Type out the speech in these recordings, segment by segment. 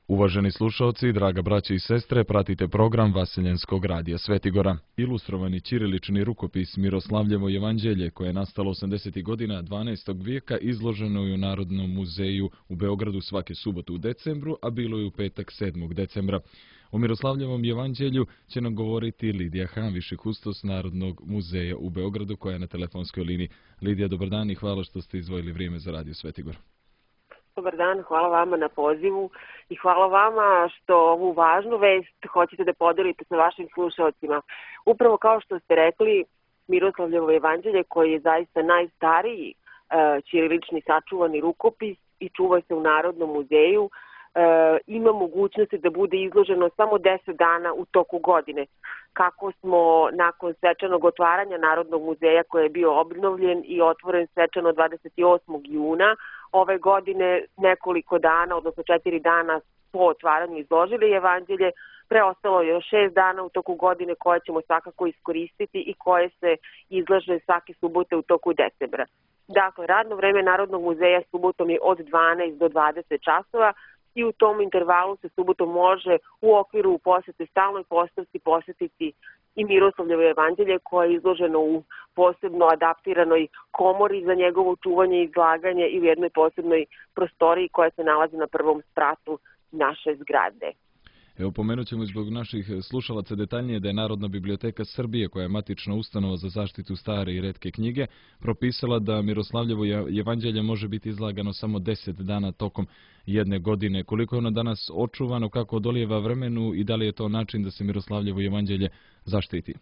Uvaženi slušalci, draga braće i sestre, pratite program Vaseljenskog radija Svetigora. Ilustrovani ćirilični rukopis Miroslavljevo jevanđelje, koje je nastalo 80. godina 12. vijeka, izloženo je u Narodnom muzeju u Beogradu svake subote u decembru, a bilo je u petak 7. decembra. O Miroslavljevom jevanđelju će nam govoriti Lidija Han, viši kustos Narodnog muzeja u Beogradu, koja je na telefonskoj liniji. Lidija, dobar dan i hvala što ste izdvojili vrijeme za radio Svetigor. Dobar dan, hvala vama na pozivu i hvala vama što ovu važnu vest hoćete da podelite sa vašim slušalcima. Upravo kao što ste rekli, Miroslavljevo jevanđelje, koji je zaista najstariji ćirilični sačuvani rukopis i čuva se u Narodnom muzeju, ima mogućnosti da bude izloženo samo 10 dana u toku godine. Kako smo nakon svečanog otvaranja Narodnog muzeja, koji je bio obnovljen i otvoren svečano 28. juna ove godine, nekoliko dana, odnosno 4 dana po otvaranju izložili jevanđelje, preostalo je još 6 dana u toku godine koje ćemo svakako iskoristiti i koje se izlaže svake subote u toku decembra. Dakle, radno vreme Narodnog muzeja subotom je od 12 do 20 časova, i u tom intervalu se subotom može u okviru posete stalnoj postavci posetiti i Miroslavljevo jevanđelje, koje je izloženo u posebno adaptiranoj komori za njegovo čuvanje i izlaganje i u jednoj posebnoj prostoriji koja se nalazi na prvom spratu naše zgrade. Evo, pomenut ćemo zbog naših slušalaca detaljnije da je Narodna biblioteka Srbije, koja je matična ustanova za zaštitu stare i retke knjige, propisala da Miroslavljevo jevanđelje može biti izlagano samo 10 dana tokom jedne godine. Koliko je ono danas očuvano, kako odolijeva vremenu i da li je to način da se Miroslavljevo jevanđelje zaštiti?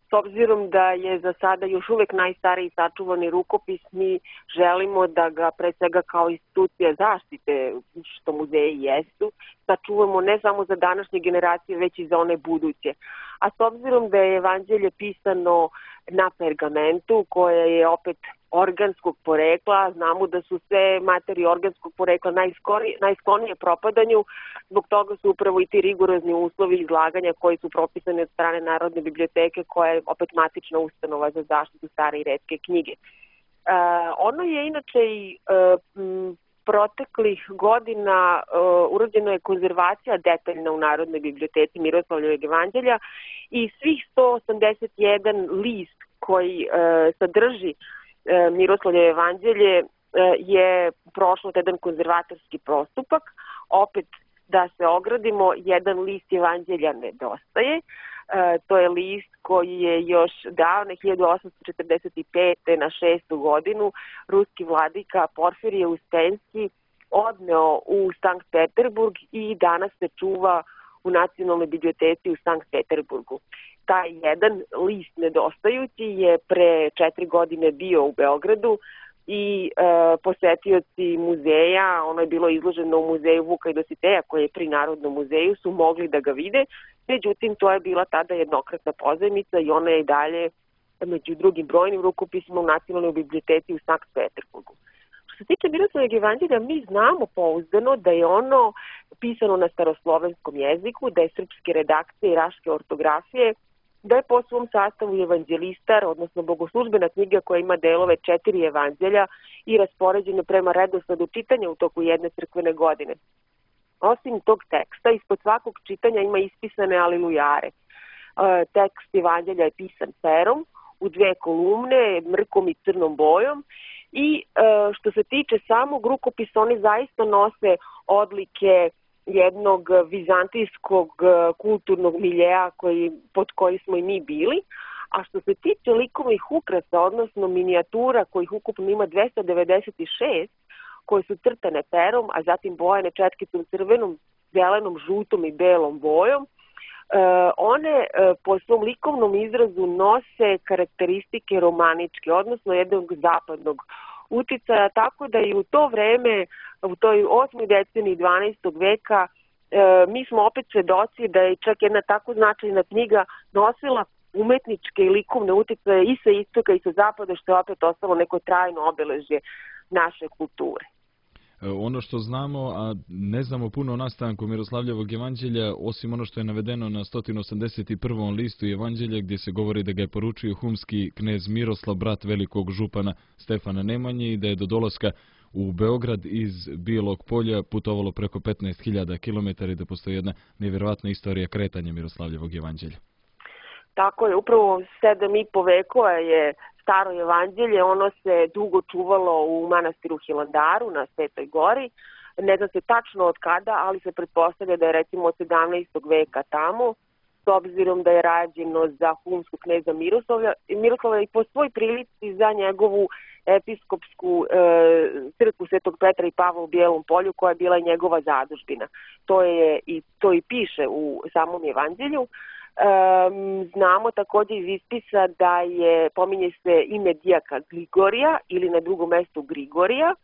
S obzirom da je za sada još uvek najstariji sačuvani rukopis, mi želimo da ga pre svega kao institucija zaštite, što muzeji jesu, sačuvamo ne samo za današnje generacije, već i za one buduće. A s obzirom da je evanđelje pisano na pergamentu, koje je opet organskog porekla, znamo da su sve materije organskog porekla najsklonije propadanju, zbog toga su upravo i ti rigorozni uslovi izlaganja koji su propisani od strane Narodne biblioteke, koja je opet matična ustanova za zaštitu stare i retke knjige. Ono je inače i proteklih godina urađena je konzervacija detaljna u Narodnoj biblioteci Miroslavljevog jevanđelja i svih 181 list koji sadrži Miroslavljevo jevanđelje je prošlo jedan konzervatorski postupak. Opet, da se ogradimo, jedan list jevanđelja nedostaje. To je list koji je još davne 1845. na 6. godinu ruski vladika Porfirije Uspenski odneo u Sankt Peterburg i danas se čuva u Nacionalnoj biblioteci u Sankt Peterburgu. Taj jedan list nedostajući je pre 4 godine bio u Beogradu i posetioci muzeja, ono je bilo izloženo u muzeju Vuka i Dositeja, koji je pri Narodnom muzeju, su mogli da ga vide. Međutim, to je bila tada jednokratna pozajmica i ona je i dalje među drugim brojnim rukopisima u Nacionalnoj biblioteci u Sankt Peterburgu. Što se tiče Miroslavljevog jevanđelja, mi znamo pouzdano da je ono pisano na staroslovenskom jeziku, da je srpske redakcije i raške ortografije, da je po svom sastavu evanđelistar, odnosno bogoslužbena knjiga koja ima delove 4 evanđelja i raspoređene prema redosledu čitanja u toku jedne crkvene godine. Osim tog teksta, ispod svakog čitanja ima ispisane alilujare. Tekst evanđelja je pisan perom, u 2 kolumne, mrkom i crnom bojom, i što se tiče samog rukopisa, oni zaista nose odlike jednog vizantijskog kulturnog miljeja pod koji smo i mi bili, a što se tiče likovnih ukrasa, odnosno minijatura kojih ukupno ima 296, koje su crtane perom, a zatim bojane četkicom crvenom, zelenom, žutom i belom bojom, one po svom likovnom izrazu nose karakteristike romaničke, odnosno jednog zapadnog uticaja, tako da i u to vreme, u toj 8. deceniji 12. veka, mi smo opet svedoci da je čak jedna tako značajna knjiga nosila umetničke i likovne uticaje i sa istoka i sa zapada, što je opet ostalo neko trajno obeležje naše kulture. Ono što znamo, a ne znamo puno o nastanku Miroslavljevog jevanđelja, osim ono što je navedeno na 181. listu jevanđelja, gdje se govori da ga je poručio humski knez Miroslav, brat velikog župana Stefana Nemanje, i da je do dolaska u Beograd iz Bijelog Polja putovalo preko 15.000 km i da postoji jedna nevjerovatna istorija kretanja Miroslavljevog evanđelja. Tako je, upravo 7,5 vekova je staro evanđelje, ono se dugo čuvalo u manastiru Hilandaru na Svetoj gori. Ne zna se tačno od kada, ali se pretpostavlja da je recimo od 17. veka tamo, s obzirom da je rađeno za humskog kneza Miroslava i po svoj prilici za njegovu episkopsku crkvu Svetog Petra i Pavla u Bijelom Polju, koja je bila njegova zadužbina. To i piše u samom evanđelju. Znamo također iz ispisa da pominje se ime dijaka Grigorija ili na drugom mjestu Grigorija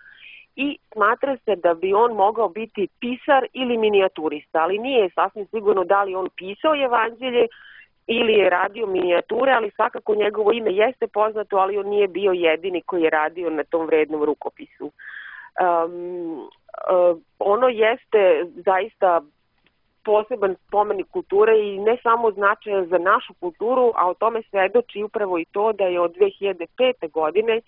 i smatra se da bi on mogao biti pisar ili minijaturista, ali nije sasvim sigurno da li on pisao evanđelje ili je radio minijature, ali svakako njegovo ime jeste poznato, ali on nije bio jedini koji je radio na tom vrednom rukopisu. Ono jeste zaista poseban spomenik kulture i ne samo značajan za našu kulturu, a o tome svedoči upravo i to da je od 2005. godine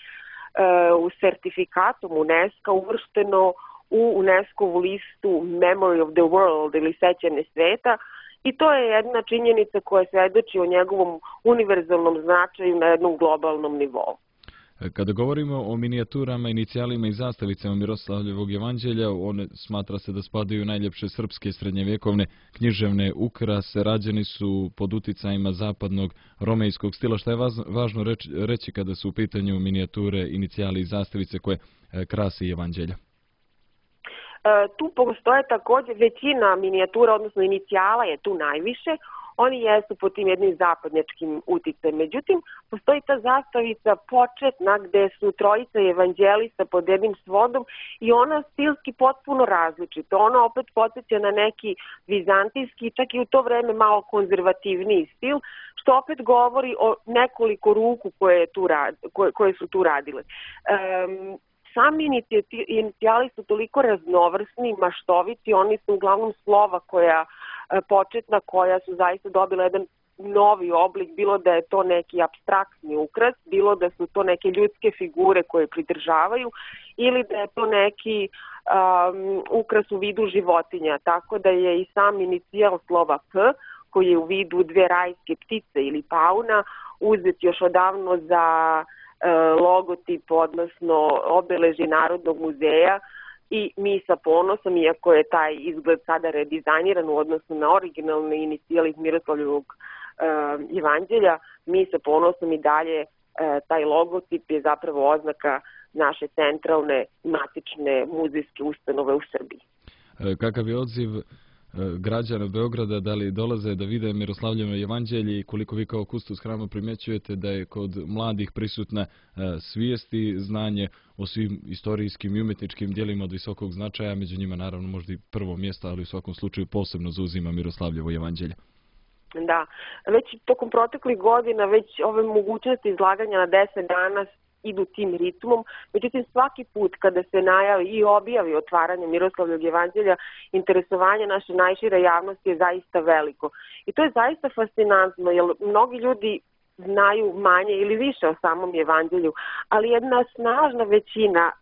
u sertifikatom UNESCO uvršteno u UNESCO-vu listu Memory of the World ili sećanje sveta i to je jedna činjenica koja svedoči o njegovom univerzalnom značaju na jednom globalnom nivou. Kada govorimo o minijaturama, inicijalima i zastavicama Miroslavljevog evanđelja, one smatra se da spadaju u najljepše srpske srednjevjekovne književne ukrase, rađeni su pod uticajima zapadnog romejskog stila. Šta je važno reći kada su u pitanju minijature, inicijali i zastavice koje krasi evanđelja? Tu postoje također većina minijatura, odnosno inicijala je tu najviše. Oni jesu pod tim jednim zapadnjačkim uticajem. Međutim, postoji ta zastavica početna gde su trojica evanđelista pod jednim svodom i ona stilski potpuno različita. Ona opet podsjeća na neki vizantijski, čak i u to vreme malo konzervativniji stil, što opet govori o nekoliko ruku koje su tu radile. Sami inicijali su toliko raznovrsni, maštoviti, oni su uglavnom slova početna koja su zaista dobila jedan novi oblik, bilo da je to neki apstraktni ukras, bilo da su to neke ljudske figure koje pridržavaju ili da je to neki ukras u vidu životinja, tako da je i sam inicijal slova P, koji je u vidu dve rajske ptice ili pauna, uzet još odavno za logotip, odnosno obeleži Narodnog muzeja i mi sa ponosom, iako je taj izgled sada redizajniran u odnosu na originalne inicijale iz Miroslavljevog evanđelja, mi sa ponosom i dalje taj logotip je zapravo oznaka naše centralne matične muzejske ustanove u Srbiji. Kakav je odziv građana Beograda, da li dolaze da vide Miroslavljevo evanđelje i koliko vi kao kustos hrama primjećujete da je kod mladih prisutna svijest i znanje o svim istorijskim i umjetničkim djelima od visokog značaja, među njima naravno možda i prvo mjesto, ali u svakom slučaju posebno zauzima Miroslavljevo evanđelje. Da, već tokom proteklih godina, već ove mogućnosti izlaganja na 10 dana idu tim ritmom, međutim svaki put kada se najavi i objavi otvaranje Miroslavljevog evanđelja, interesovanje naše najšire javnosti je zaista veliko. I to je zaista fascinantno, jer mnogi ljudi znaju manje ili više o samom evanđelju, ali jedna snažna većina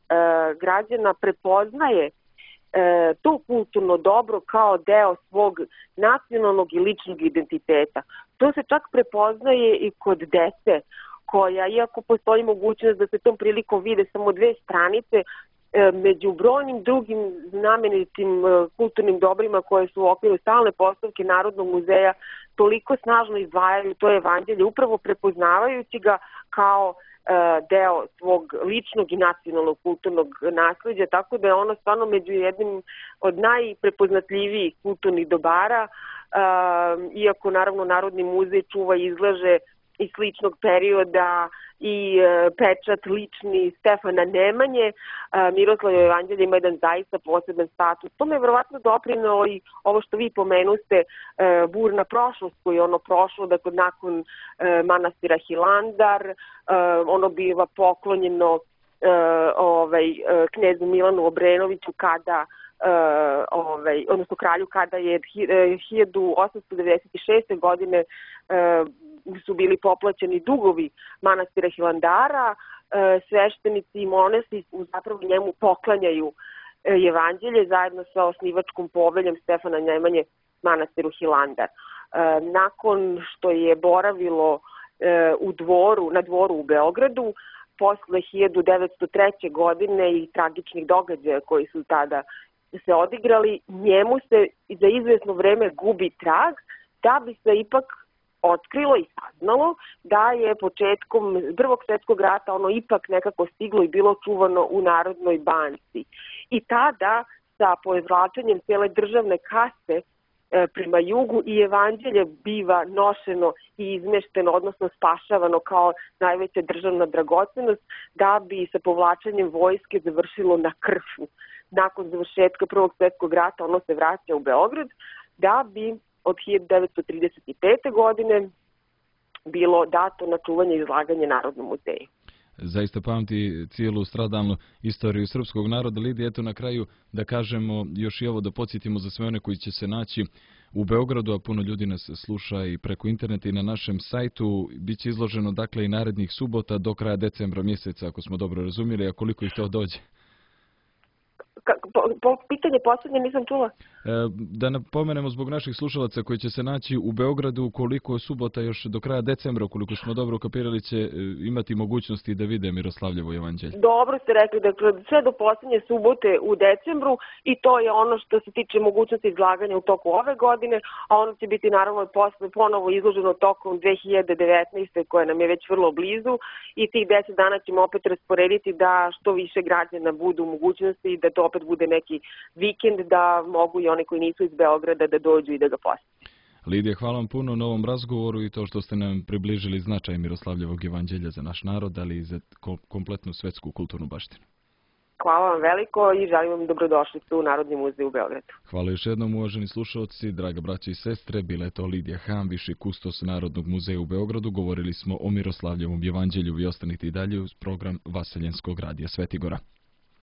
građana prepoznaje to kulturno dobro kao deo svog nacionalnog i ličnog identiteta. To se čak prepoznaje i kod dece, koja, iako postoji mogućnost da se tom prilikom vide samo dve stranice, među brojnim drugim znamenitim kulturnim dobrima koje su u okviru stalne postavke Narodnog muzeja toliko snažno izdvajaju to evanđelje, upravo prepoznavajući ga kao deo svog ličnog i nacionalnog kulturnog nasleđa, tako da je ono stvarno među jednim od najprepoznatljivijih kulturnih dobara, iako naravno Narodni muzej čuva i izlaže iz sličnog perioda i pečat lični Stefana Nemanje, Miroslavljevo evanđelje ima jedan zaista poseban status. To me je verovatno doprinelo i ovo što vi pomenuste, burna prošlost koju je ono prošlo, dakle nakon manastira Hilandar, ono biva poklonjeno knezu Milanu Obrenoviću odnosno kralju kada je 1896. godine su bili poplaćeni dugovi manastira Hilandara sveštenici i monasi zapravo njemu poklanjaju evanđelje zajedno sa osnivačkom poveljom Stefana Nemanje manastiru Hilandar. Nakon što je boravilo na dvoru u Beogradu, posle 1903. godine i tragičnih događaja koji su tada se odigrali, njemu se za izvesno vreme gubi trag, da bi se ipak otkrilo i saznalo da je početkom Prvog svjetskog rata ono ipak nekako stiglo i bilo čuvano u Narodnoj banci. I tada sa poizvlačenjem cijele državne kase prema jugu i evanđelje biva nošeno i izmešteno, odnosno spašavano kao najveća državna dragocenost, da bi sa povlačenjem vojske završilo na Krfu. Nakon završetka Prvog svjetskog rata ono se vraća u Beograd, da bi od 1935. godine bilo dato na čuvanje i izlaganje Narodnom muzeju. Zaista pamti cijelu stradalnu istoriju srpskog naroda. Lidija, eto na kraju da kažemo još i ovo, da podsjetimo za sve one koji će se naći u Beogradu, a puno ljudi nas sluša i preko interneta i na našem sajtu. Biće izloženo dakle i narednih subota do kraja decembra mjeseca, ako smo dobro razumjeli, a koliko ih to dođe? Pitanje posljednje nisam čula. Da napomenemo zbog naših slušalaca koji će se naći u Beogradu, koliko subota još do kraja decembra, koliko smo dobro kapirali, će imati mogućnosti da vide Miroslavljevo evanđelje. Dobro ste rekli, dakle sve do posljednje subote u decembru, i to je ono što se tiče mogućnosti izlaganja u toku ove godine, a ono će biti naravno posle ponovo izloženo tokom 2019. koja nam je već vrlo blizu, i tih 10 dana ćemo opet rasporediti da što više građana budu u mogućnosti, da to opet bude neki vikend, da mogu i oni koji nisu iz Beograda da dođu i da ga posjete. Lidija, hvala vam puno na ovom razgovoru i to što ste nam približili značaj Miroslavljevog evanđelja za naš narod, ali i za kompletnu svetsku kulturnu baštinu. Hvala vam veliko i želim vam dobrodošlicu u Narodni muzej u Beogradu. Hvala još jednom, uvaženi slušalci, draga braća i sestre. Bila je to Lidija Han, viši kustos Narodnog muzeja u Beogradu. Govorili smo o Miroslavljevom evanđelju. Vi ostanite i dalje uz program Vaseljenskog radija Svetigora.